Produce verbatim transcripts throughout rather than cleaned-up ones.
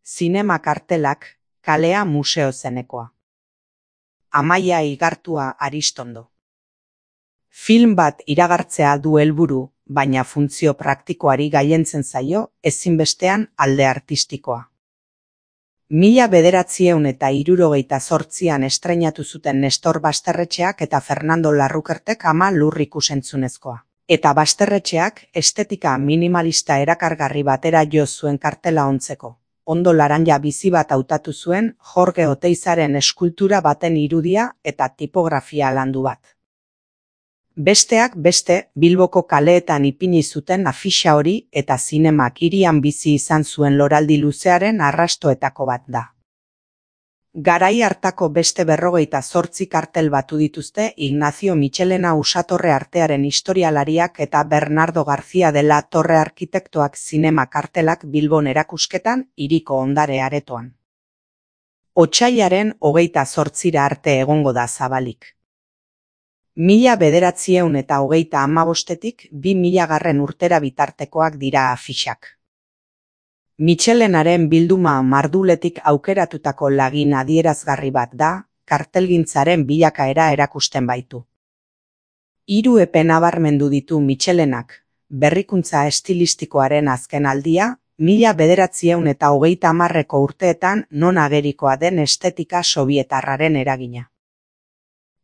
Zinema kartelak, kalea museo zenekoa. Amaia Igartua Aristondo. Film bat iragartzea du helburu, baina funtzio praktikoari gailentzen zaio ezinbestean alde artistikoa. Mila bederatziehun eta hirurogeita zortzian estreinatu zuten Nestor Basterretxeak eta Fernando Larrukertek Ama lur ikusentzunezkoa. Eta Basterretxeak estetika minimalista erakargarri batera jo zuen kartela ontzeko. Ondo laranja bizi bat hautatu zuen Jorge Oteizaren eskultura baten irudia eta tipografia landu bat. Besteak beste, Bilboko kaleetan ipini zuten afixa hori eta zinemak hirian bizi izan zuen loraldi luzearen arrastoetako bat da. Garai hartako beste berrogeita zortzi kartel batu dituzte Ignacio Michelena Usatorre artearen historialariak eta Bernardo García de la Torre arkitektoak zinema kartelak Bilbon erakusketan hiriko ondare aretoan. Otsailaren hogeita zortzira arte egongo da zabalik. Mila bederatziehun eta hogeita hamabostetik bi milagarren urtera bitartekoak dira afixak. Michelenaren bilduma marduletik aukeratutako lagin adierazgarri bat da, kartelgintzaren bilakaera erakusten baitu. Hiru epe nabarmendu ditu Michelenak, berrikuntza estilistikoaren azken aldia, mila bederatziehun eta hogeita hamarreko urteetan non agerikoa den estetika sobietarraren eragina.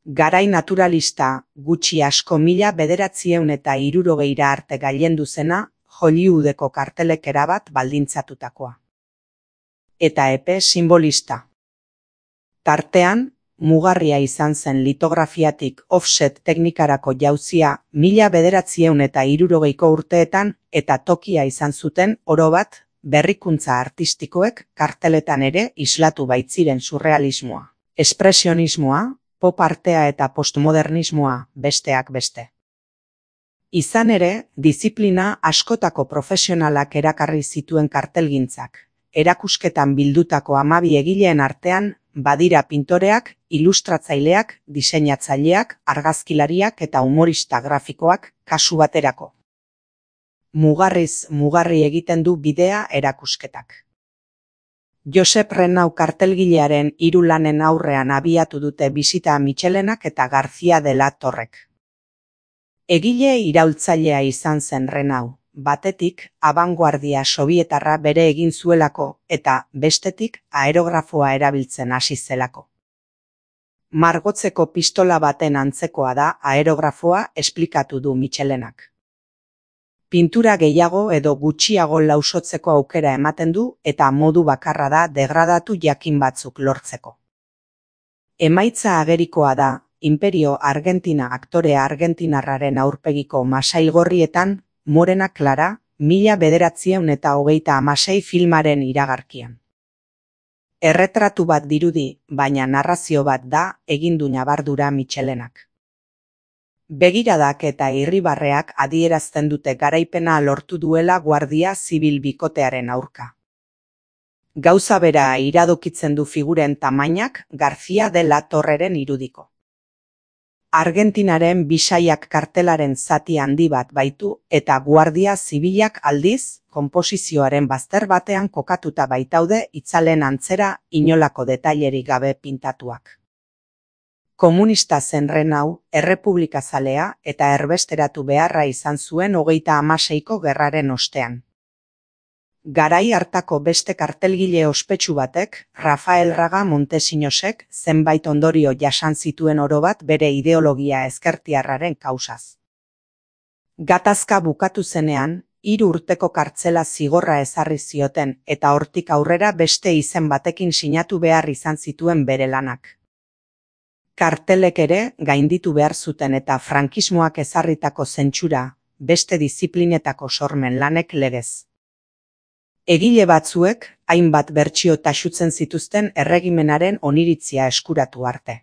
Garai naturalista, gutxi asko mila bederatziehun eta hirurogeira arte gailendu zena, Hollywoodeko kartelek erabat baldintzatutakoa. Eta epe simbolista. Tartean, mugarria izan zen litografiatik offset teknikarako jauzia mila bederatziehun eta hirurogeiko urteetan eta tokia izan zuten orobat berrikuntza artistikoek karteletan ere islatu baitziren surrealismoa, espresionismoa, pop artea eta postmodernismoa besteak beste. Izan ere, diziplina askotako profesionalak erakarri zituen kartelgintzak. Erakusketan bildutako hamabi egileen artean, badira pintoreak, ilustratzaileak, diseinatzaileak, argazkilariak eta humorista grafikoak kasu baterako. Mugarriz mugarri egiten du bidea erakusketak. Josep Renau kartelgilearen hiru lanen aurrean abiatu dute bisita Michelenak eta García de la Torrek. Egile iraultzailea izan zen Renau, batetik abanguardia sobietarra bere egin zuelako eta bestetik aerografoa erabiltzen hasi zelako. Margotzeko pistola baten antzekoa da aerografoa esplikatu du Michelenak. Pintura gehiago edo gutxiago lausotzeko aukera ematen du eta modu bakarra da degradatu jakin batzuk lortzeko. Emaitza agerikoa da, Imperio Argentina aktore argentinarraren aurpegiko masailgorrietan, Morena Clara, mila bederatziehun eta hogeita hamasei filmaren iragarkian. Erretratu bat dirudi, baina narrazio bat da egin du ñabardura Michelenak. Begiradak eta irribarreak adierazten dute garaipena lortu duela Guardia Zibil bikotearen aurka. Gauza bera iradokitzen du figuren tamainak García de la Torreren irudiko. Argentinaren bisaiak kartelaren zati handi bat baitu eta Guardia Zibilak aldiz, konposizioaren bazter batean kokatuta baitaude itzalen antzera inolako detailerik gabe pintatuak. Komunista zen Renau, errepublikazalea eta erbesteratu beharra izan zuen hogeita hamaseiko gerraren ostean. Garai hartako beste kartelgile ospetsu batek, Rafael Raga Montesinosek, zenbait ondorio jasan zituen orobat bere ideologia ezkertiarraren kausaz. Gatazka bukatu zenean, hiru urteko kartzela zigorra ezarri zioten eta hortik aurrera beste izen batekin sinatu behar izan zituen bere lanak. Kartelek ere gainditu behar zuten eta frankismoak ezarritako zentsura, beste diziplinetako sormen lanek legez. Egile batzuek, hainbat bertsio taxutzen zituzten erregimenaren oniritzia eskuratu arte.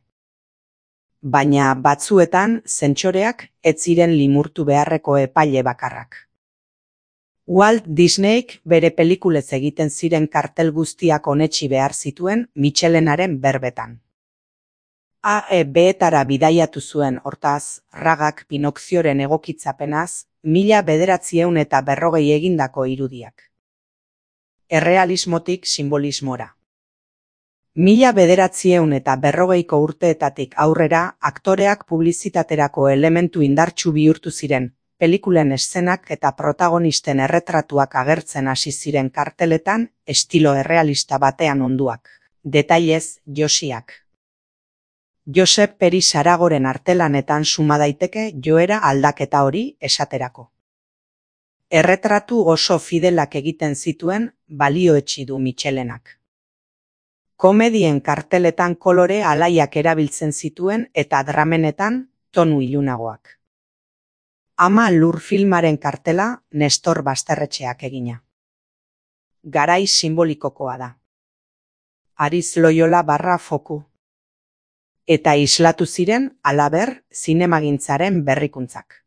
Baina batzuetan, zentsoreak ez ziren limurtu beharreko epaile bakarrak. Walt Disneyk bere pelikulez egiten ziren kartel guztiak onetsi behar zituen Michelenaren berbetan. A E B-etara bidaiatu zuen hortaz, Ragak Pinokzioren egokitzapenaz, mila bederatziehun eta berrogei egindako irudiak. Errealismotik simbolismora. Mila bederatziehun eta berrogeiko urteetatik aurrera aktoreak publizitaterako elementu indartsu bihurtu ziren, pelikulen eszenak eta protagonisten erretratuak agertzen hasi ziren karteletan estilo errealista batean onduak. Detailez, Josiak. Josep Peri Saragoren artelanetan suma daiteke joera aldaketa hori esaterako. Erretratu oso fidelak egiten zituen balioetsi du Mitxelenak. Komedien karteletan kolore alaiak erabiltzen zituen eta dramenetan tonu ilunagoak. Ama Lur filmaren kartela Nestor Basterretxeak egina. Garai simbolikokoa da. Ariz Loyola barra foku. Eta islatu ziren halaber zinemagintzaren berrikuntzak.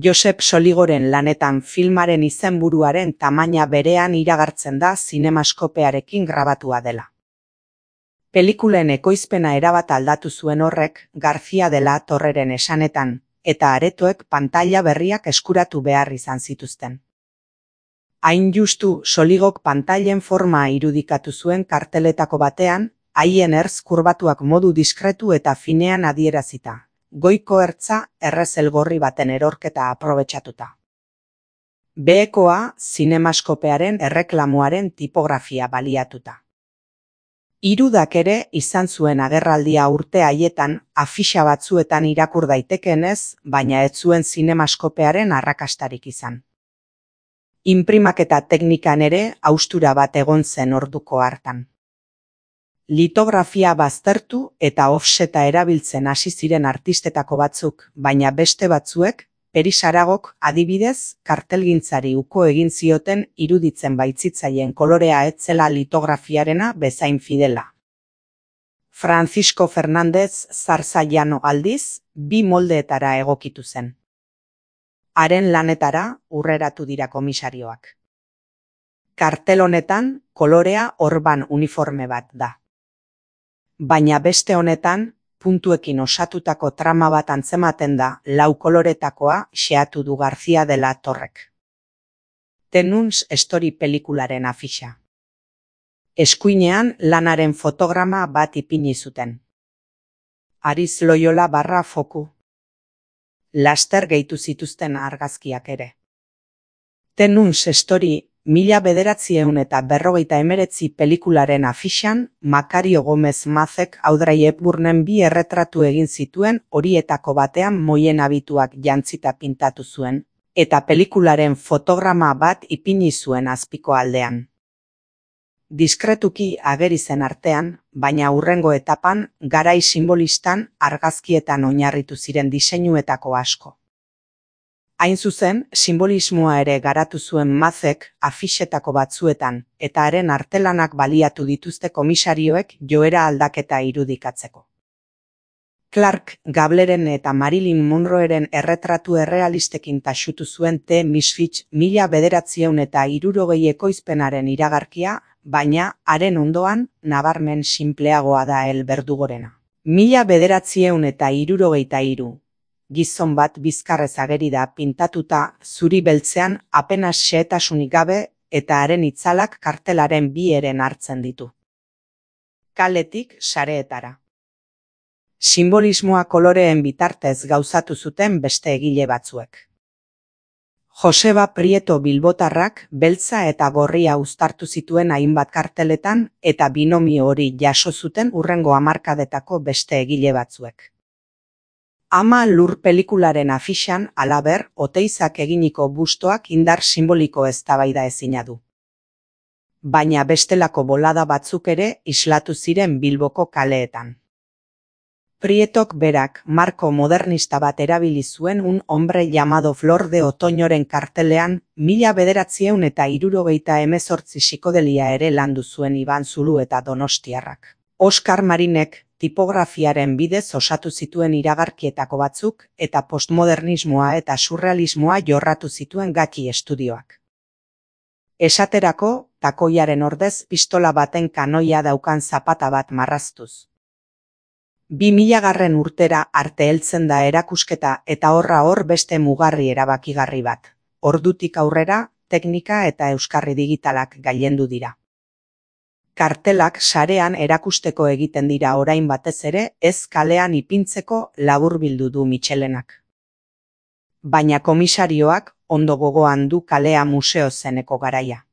Josep Soligoren lanetan filmaren izenburuaren tamaina berean iragartzen da zinemaskopearekin grabatua dela. Pelikulen ekoizpena erabat aldatu zuen horrek García de la Torreren esanetan, eta aretoek pantaila berriak eskuratu behar izan zituzten. Hain justu Soligok pantailen forma irudikatu zuen karteletako batean, haien ertz kurbatuak modu diskretu eta finean adierazita. Goiko ertza errezel gorri baten erorketa aprobetxatuta. Behekoa zinemaskopearen erreklamoaren tipografia baliatuta. Irudak ere izan zuen agerraldia urte haietan afixa batzuetan irakur daitekeenez, baina ez zuen zinemaskopearen arrakastarik izan. Inprimaketa teknikan ere haustura bat egon zen orduko hartan. Litografia baztertu eta offseta erabiltzen hasi ziren artistetako batzuk, baina beste batzuek, Peri Saragok adibidez, kartelgintzari uko egin zioten iruditzen baitzitzaien kolorea etzela litografiarena bezain fidela. Francisco Fernández Zarzallano aldiz, bi moldeetara egokitu zen. Haren lanetara urreratu dira komisarioak. Kartel honetan, kolorea orban uniforme bat da. Baina beste honetan, puntuekin osatutako trama bat antzematen da lau koloretakoa xeatu du García de la Torrek. Tenuns Story pelikularen afixa. Eskuinean lanaren fotograma bat ipini zuten. Ariz Loyola barra foku. Laster gehitu zituzten argazkiak ere. Tenuns Story Mila bederatziehun eta berrogeita emeretzi pelikularen afixan, Makario Gomez Mazek Audrey Hepburnen bi erretratu egin zituen horietako batean moien abituak jantzita pintatu zuen, eta pelikularen fotograma bat ipini zuen azpiko aldean. Diskretuki ageri zen artean, baina hurrengo etapan garai simbolistan argazkietan oinarritu ziren diseinuetako asko. Hain zuzen, simbolismoa ere garatu zuen Mazek afixetako batzuetan, eta haren artelanak baliatu dituzte komisarioek joera aldaketa irudikatzeko. Clark Gableren eta Marilyn Monroeren erretratu errealistekin taxutu zuen The Misfits mila bederatziehun eta hirurogei ekoizpenaren iragarkia, baina haren ondoan nabarmen sinpleagoa da El Berdugorena. Mila bederatziehun eta hirurogeita hiru. Gizon bat bizkarrez ageri da pintatuta zuri beltzean apenas xehetasunik gabe eta haren itzalak kartelaren bi eren hartzen ditu. Kaletik sareetara. Simbolismoa koloreen bitartez gauzatu zuten beste egile batzuek. Joseba Prieto Bilbotarrak beltza eta gorria uztartu zituen hainbat karteletan eta binomio hori jaso zuten hurrengo hamarkadetako beste egile batzuek. Ama Lur pelikularen afixan, halaber, Oteizak eginiko bustoak indar simboliko eztabaida ezina du. Baina bestelako bolada batzuk ere islatu ziren Bilboko kaleetan. Prietok berak marko modernista bat erabili zuen Un hombre llamado Flor de Otoñoren kartelean, mila bederatziehun eta hirurogeita hemezortzi psikodelia ere landu zuen Iban Zulu eta Donostiarrak. Oskar Marinek tipografiaren bidez osatu zituen iragarkietako batzuk eta postmodernismoa eta surrealismoa jorratu zituen Gaki estudioak. Esaterako, takoiaren ordez pistola baten kanoia daukan zapata bat marraztuz. Bi milagarren urtera arte heltzen da erakusketa eta horra hor beste mugarri erabakigarri bat. Ordutik aurrera, teknika eta euskarri digitalak gailendu dira. Kartelak sarean erakusteko egiten dira orain batez ere ez kalean ipintzeko laburbildu du Mitxelenak. Baina komisarioak ondo gogoan du kalea museo zeneko garaia.